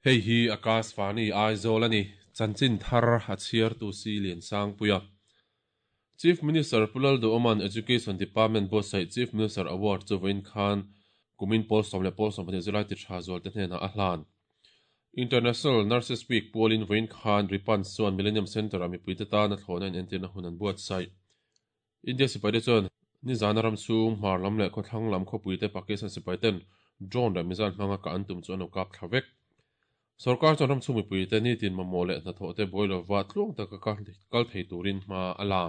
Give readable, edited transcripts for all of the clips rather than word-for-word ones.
Hei hi Akashvani Aizawl a ni. Chanchin thar a chhiartu si Liansangpuia. Chief Minister Pu Lalduhoma'n Education Department buatsaih Chief Minister Award chu vawiin khan kumin pawl 12 zirlai ti tha zualte hnenah a hlan. International Nurses Week pualin vawiin khan Ripans chuan Millennium Centre-ah mipuite tana thlawhna inentirna hun an buatsaih. India sipaite chuan nizana ram chhung hmar lam leh khawthlang lam khawpuite Pakistan sipaiten drone leh missile hmanga kah an tum chu an lo kap thla vek. Sorkar chuan ramchhung mipuite nitin mamawh leh hnathawhte buai lova tluang taka kal thei turin hma a la.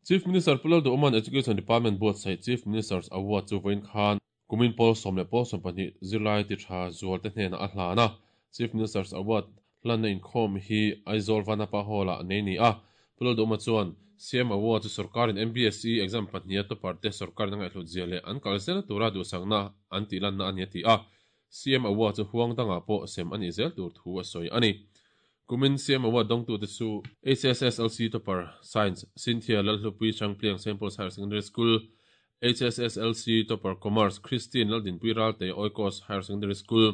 Chief Minister Pu Lalduhoma'n Education Department buatsaih Chief Minister's Award chu vawiin khan kumin pawl 12 zirlai ti tha zualte hnenah a hlan a. Chief Minister's Award hlanna inkhawm hi Aizawl Vanapa Hall-ah nei ni a. Pu Lalduhoma chuan CM Award chu sorkarin MBSE exam pahniha topper te sorkarin a ngaihhlut zia leh an kal zelna tura duhsakna an tihlanna a ni a ti a. CM Award chu huang dangah pawh sem a nih zel tur thu a sawi a ni. Kumin CM Award dawngtute chu HSSLC Topper, Science, Cynthia Lalhlupui Changpliang St. Paul's Higher Secondary School, HSSLC Topper, Commerce, Christine Laldinpui Ralte Oikos Higher Secondary School,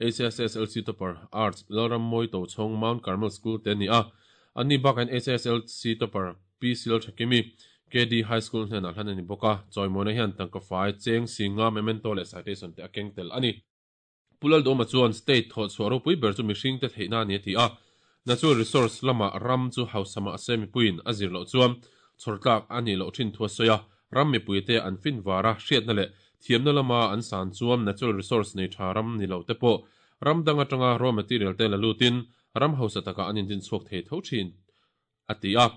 HSSLC Topper, Arts, Lalrammawi Tochhawng Mount Carmel School te a ni a. Anni bakah hian HSSLC Topper, Pi Silthakimi, KD High School hnenah hlan a ni bawk a, chawimawina hian tangka fai, cheng, singa, memento leh citation te a keng tel a ni. Pu Laldawma chuan state thawh chhuah ropui ber chu mihringte theihna a ni a ti a, natural resource lama ram chu hausa mah se mipuiin a zir loh chuan chhawr tlak a nih loh thin thu a sawi a, ram mipuite an fin var a, hriatna leh thiamna lama an san chuan natural resource nei tha ram ni lo te pawh ram dang atanga raw material te la lutin ram hausa takah an indin chhuak thei tho thin a ti a.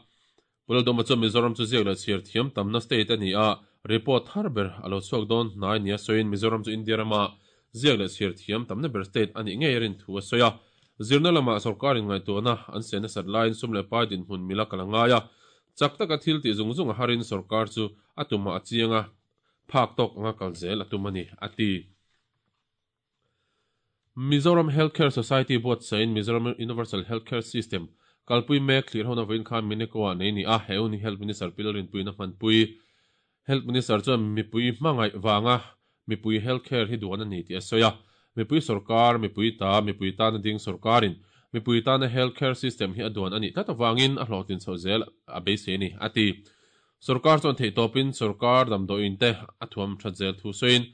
Pu Lalduhma chuan Mizoram chu ziak leh chhiar thiam tamna state a ni a, report thar ber a lo chhuak dawn hnai nia sawiin Mizoram chu India rama ziak leh chhiar thiam tamna ber state a nih ngei a rin thu a sawi a. Zirna lamah sorkarin ngaihtuahna an siam nasat laiin sum leh pai dinhmun mila kal a ngai a, chak taka thil tih zung zung a harin sorkar chu a tumah a chiang a, phak tawk anga kal zel a tum a ni, a ti. Mizoram Health Care Society buatsaihin Mizoram Universal Health Care System kalpui mek thlir hona vawiin khan Mineko-ah nei ni a, he hun hi Health Minister Pi Lalrinpuiin a hmanpui. Health Minister chuan mipui hmangaih vanga mipui health care hi duan a ni tih a sawi a, mipui sorkar, mipui ta, mipui tana ding sorkarin mipui tana health care system hi a duan a nih tlat avangin a hlawhtlin chhoh zel a beisei a ni, a ti. Sorkar chuan theihtawpin sorkar damdawiin te a thuam that zel thu sawiin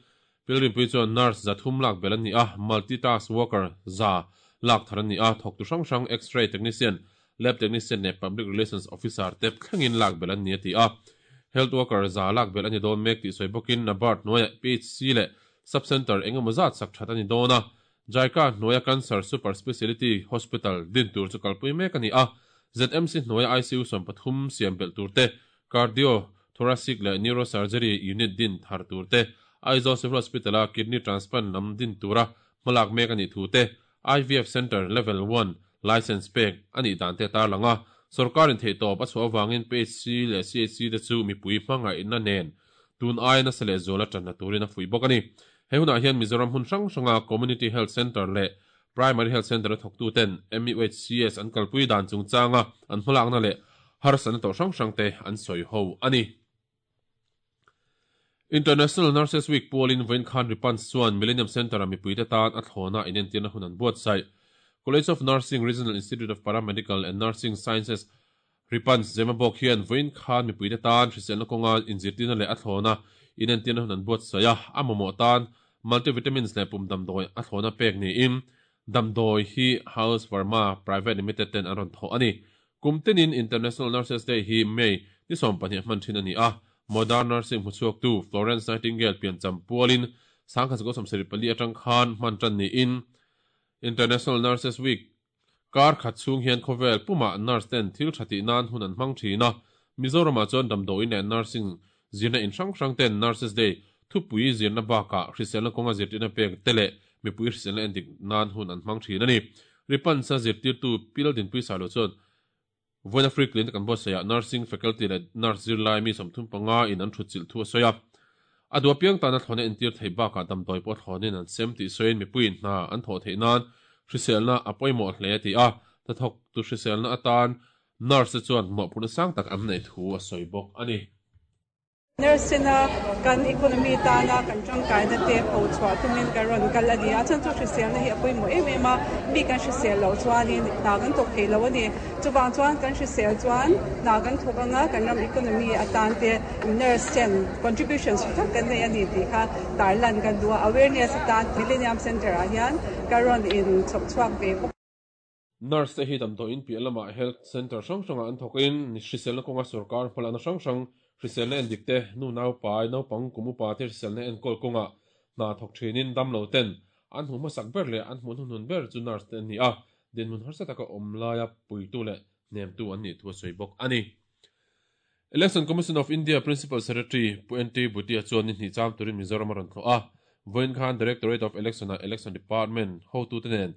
Pilrimpui chuan nurse 300 lak belh an ni a, multi-task worker 100 lak thar an ni a, thawktu hrang hrang X-ray technician, lab technician leh public relations officer te thlengin lak belh an ni a ti a. Health worker 100 lak belh a ni dawn mek tih sawi bawkin NABARD hnuaiah PHC leh sub-centre eng emaw zat sak that a ni dawn a, JICA hnuaia Cancer Super Speciality Hospital din tur chu kalpui mek a ni a, ZMC hnuaia ICU 13 siam belh tur te, Cardio Thoracic leh Neurosurgery Unit din thar tur te, Aizawl Civil Hospital-a Kidney Transplant lam din tura hmalak mek a nih thu te, IVF Centre Level One Licence pek a nih dan te a tarlang a. Sorkarin theihtawp a chhuah avangin PHC leh CHC te chu mipui hmangaihna nen tun aia nasa leh zuala tanna turin a fuih bawk a ni. He hunah hian Mizoram hmun hrang hranga Community Health Centre leh Primary Health Centre-a thawktuten MUHCS an kalpui dan chungchanga an hmalakna leh harsatna tawh hrang hrangte an sawi ho a ni. International Nurses Week pualin vawiin khan Ripans chuan Millennium Centre-a mipuite tan a thlawna inentirna hun an buatsaih. College of Nursing, Regional Institute of Paramedical and Nursing Sciences, Ripans Zemabawk hian vawiin khan mipuite tan hriselna kawnga inzirtirna leh a thlawna inentirna hun an buatsaih a, a mamawh tan multivitamins leh pum damdawi a thlawna pek niin damdawi hi House Pharma Private Limited ten an rawn thawh a ni. Kum tinin International Nurses Day hi May ni 20 hman thin a ni a, Modern Nursing hmuchhuaktu Florence Nightingale piancham pualin 1974 atang khan hman tan niin International Nurses Week Kar khat chhung hian khawvel pumah nurse ten thil tha tih nan hun an hmang thin a, Mizoramah chuan damdawiin leh nursing zirna in hrang hrang ten Nurses Day thupui zirna bakah hriselna kawnga zirtirna pek te leh mipui hriselna endik nan hun an hmang thin a ni. Ripansa zirtirtu Pi Laldinpui Sailo chuan Vawiin Free Clinic kan buatsaihah Nursing Faculty leh Nurse zirlai mi 35 in an thutchilh thu a sawi a. A duh apiang tana thlawhna entir theih bakah damdawi pawh thlawnin an sem tih sawiin mipuiin hna an thawh theih nan hriselna a pawimawh hle a ti a. Hnathawktu hriselna atan. Nurse te chuan mawhphurhna sang tak an neih thu a sawi bawk a ni. Nurse tena kan economy tana kan tangkaina te pho chhuah tumin kan rawn kal a ni. A chhan chu hriselna hi a pawimawh em em a, mi kan hrisel loh chuanin hna kan thawk thei lo a ni. Chuvang chuan kan hrisel chuan hna kan thawk anga kan ram economy atan te nurse ten contribution tha tak kan nei a ni tih kha tarlan kan duh a. Awareness atan Millennium Centre ah hian ka rawn in chhawp chhuak ve bawk. Nurse te hi damdawiin piah lamah Health Centre hrang hrangah an thawk in hriselna kawnga sorkar hmalakna hrang hrang, hriselna endik te, nu naupai, naupang kum upa te hriselna enkawl kawngah hna thawk thinin damlo ten an hmuh hmasak ber leh an hmuh hnuhnun ber chu nurse te an ni a, dinhmun harsa taka awm laia puitu leh hnemtu an nih thu a sawi bawk a ni. Election Commission of India Principal Secretary Pu NT Bhutia chuan ni hnih cham turin Mizoram a rawn thlawh a, vawiin khan Directorate of Election-ah Election Department hotute nen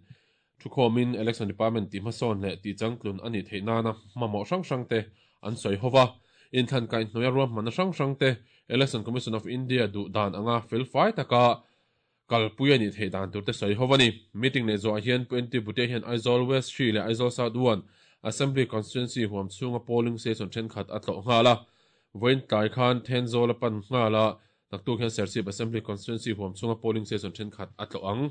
Thukhawmin Election Department tih hmasawn leh tih changtlun a nih theih nana hmamawh hrang hrang te an sawi ho va, inthlan kaihhnawih a ruahmanna hrang hrang te Election Commission of India duh dan anga felfai taka kalpui a nih theih dan tur te sawi ho a ni. Meeting leh zawhah hian Pu NT Bhutia hian Aizawl West 3 leh Aizawl South 1 Assembly Constituency huam chhunga polling station thenkhat a tlawh nghal a, vawiin tlai khan Thenzawl a pan nghal a, naktuk hian Serchhip Assembly Constituency huam chhunga polling station thenkhat a tlawh ang.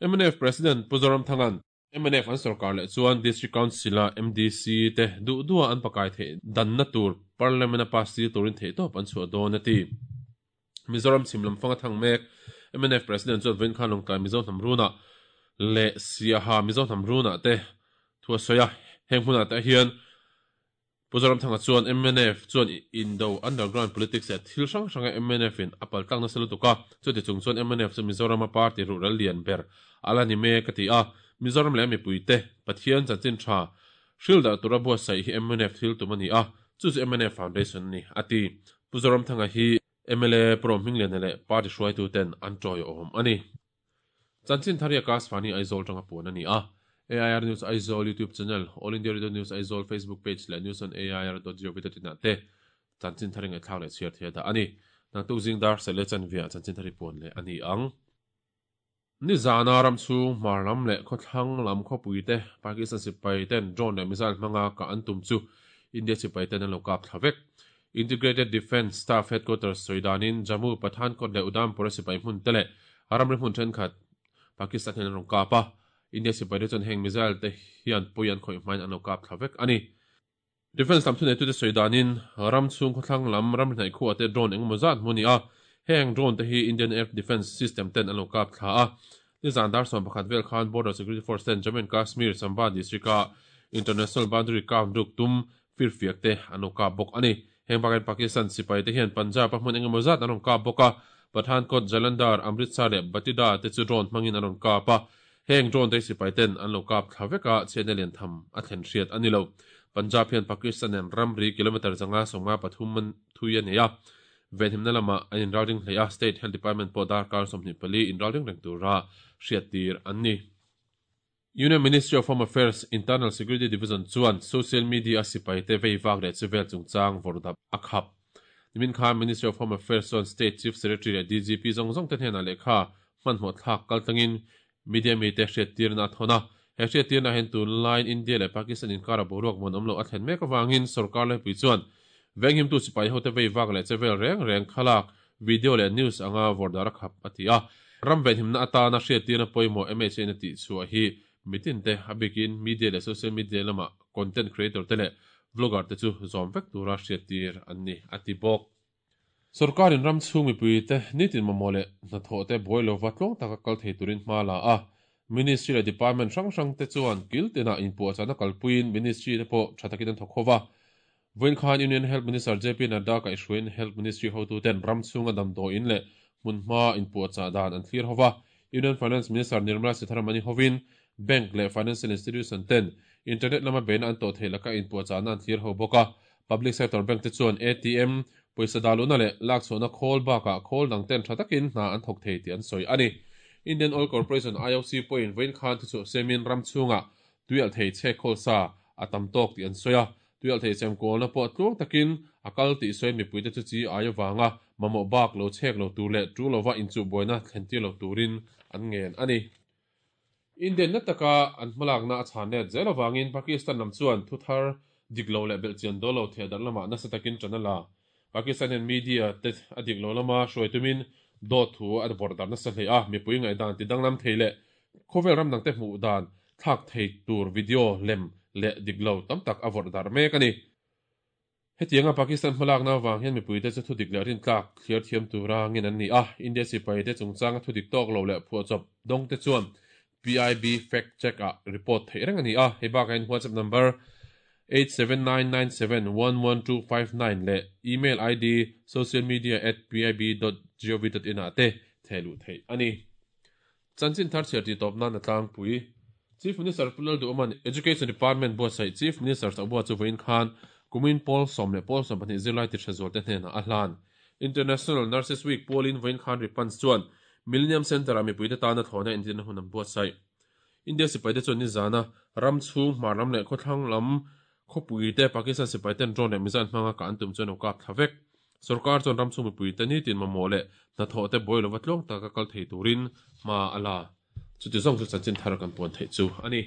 Mnf President Pu Zoramthanga'n mnf an sorkar leh chuan District Council-a MDC te duh duha an pakai theih danna tur Parliament-a pass tir turin theihtawp an chhuah dawn a ti. Mizoram chhim lam fanga thang mek mnf President chuan vawiin khan Lawngtlai Mizo hnam runah leh Siaha Mizo hnam runah te thu a sawi a, heng hmunah te hian Pu Zoramthanga chuan mnf chuan indo underground politics leh thil hrang hranga mnf in a paltlak nasa lutuk a, chuti chung chuan mnf chu Mizorama party ruhrel lian ber a la ni mek a ti a. Mizoram leh a mipuite Pathian chanchin tha hril darh tura buatsaih hi mnf thil tum a ni a, chu chu mnf foundation a ni a ti. Pu Zoramthanga hi mla Pu Rohmingliana leh party hruaituten an tawiawm a ni. Chanchin Thar hi Akashvani Aizawl tanga puan a ni a. AIR News Aizawl YouTube channel, All India Radio News Aizawl Facebook page leh News on AIR dot gov dot in ah te Chanchin Thar i ngaihthlak leh chhiar thei a dah a ni. Naktuk zing dar seh leh chanve ah Chanchin Thar i puan leh a ni ang. Nizana ram chhung hmar lam leh khawthlang lam khawpui te Pakistan sipai ten drone leh missile hmanga kah an tum chu India sipai ten an lo kap thla vek. Integrated Defence Staff Headquarters sawi danin Jammu, Pathankot leh Udhampur-a sipai hmun te leh ramri hmun thenkhat Pakistan hian an rawn kap a. India sipaite chuan heng missile te hian pawi an khawih hmain an lo kap thla vek a ni. Defence lam thuneitute sawi danin ram chhung khawthlang lam ramri hnaih khuah te drone engemaw zat hmu a ni a, heng drone te hi Indian Air Defence System ten an lo kap thla a. Nizan dar 11 vel khan Border Security Force ten Jammu and Kashmir, Samba district-a International Boundary kap ruk tum firfiak te an lo kap bawk a ni. Heng bakah Pakistan sipai te hian Punjab a hmun engemaw zat an rawn kap bawk a, Pathankot, Jalandhar, Amritsar leh Batida te chu drone hmangin an rawn kap a. Heng drone te hi sipai ten an lo kap thla vek a, chhiatna lian tham a thlen hriat a ni lo. Punjab hian Pakistan nen ramri kilometre 553 man thui a nei a, venhimna lamah an inralring hle a, State Health Department pawh darkar 24 inralring reng tura hriattir an ni. Union Ministry of Home Affairs Internal Security Division chuan social media a sipaite vei vak leh chuvel chungchang vawrhdap a khap. Nimin khan Ministry of Home Affairs chuan State Chief Secretary leh DGP zawng zawng te hnenah lehkha hmanhmawh thlak kaltlangin media mite hriattirna a thawn a. He hriattirna hian tunlaiin India leh Pakistan inkara boruak muanawm loh a thlen mek avangin sorkar laipui chuan venghimtu sipai hote vei vak leh chevel reng reng thlalak, video leh news anga vawrdar a khap a ti a. Ram venhimna atana hriattirna pawimawh MHA-in a tihchhuah hi mitin te, a bikin media leh social media lama content creator te leh vlogger te chu zawm vek tura hriattir an ni, a ti bawk. Sorkarin ram chhung mipui te nitin mamawh leh hnathawh te buai lova tluang taka kal thei turin hma la a, Ministry leh Department hrang hrang te chuan kil tinah inpuahchahna kalpuiin Ministry te pawh tha takin an thawk ho va. Vawiin khan Union Health Minister JP Nadda kaihhruaiin Health Ministry hotuten ram chhunga damdawiin leh hmunhma inpuahchah dan an thlir ho va. Union Finance Minister Nirmala Sitharaman-i hovin Bank leh Financial Institution ten Internet lama beihna an tawh theih laka inpuahchahna an thlir ho bawk a. Public Sector Bank te chuan ATM, pawisa dahluhna leh lakchhuahna khawl bakah khawl dang ten tha takin hna an thawk thei tih an sawi a ni. Indian Oil Corporation, IOC, pawhin vawiin khan thuchhuah siamin ram chhungah tuialhthei chhek khawl sa a tam tawk tih an sawi a. Tuialhthei chemkawlna pawh tluang takin a kal tih sawiin mipuite chu chi ai avanga mamawh bak lo chhek lo tur leh tu lova inchuhbuaina thlentir lo turin an ngen a ni. Indian na taka an hmalakna a chhan let zel avangin Pakistan lam chuan thu thar dik lo leh belhchian dawl lo thehdarh lamah nasa takin ṭan a la. Pakistan hian media te a dik lo lama hruai tumin dawt thu a vawrh darh nasa hle a, mipui ngaihdan ti danglam thei leh khawvel ram dangte hmuh dan thlak thei tur video lem leh dik lo tam tak a vawrh darh mek a ni. Hetianga Pakistan hmalakna avang hian mipuite chu thudik leh rintlak thliar thiam tura ngin an ni a, India sipaite chungchanga thudik tawk lo leh phuahchawp dawngte chuan PIB fact check ah report theih reng a ni a, hei bakah hian WhatsApp number 8799711259 leh email ID socialmedia@pib.gov.in ah te thehluh theih a ni. Chanchin thar chhiar tih tawp nan a tlangpui. Chief Minister Pu Lalduhawma'n Education Department buatsaih Chief Minister's Award chu vawiin khan kumin pawl 10 leh pawl 12 zirlai ti hre zualte hnenah a hlan. International Nurses Week pualin vawiin khan Ripans chuan Millennium Centre-ah mipuite tana thlawhna entirna hun an buatsaih. India sipaite chuan nizana ram chhung, hmar lam leh khawthlang lam khawpuite Pakistan sipaiten drone leh missile hmanga kah an tum chuan an kap thla vek. Sorkar chuan ram chhung mipuite nitin mamawh leh hnathawh te buai lova tluang taka kal thei turin hma a la. Chuti zawng chu chanchin thar kan puan theih chu a ni.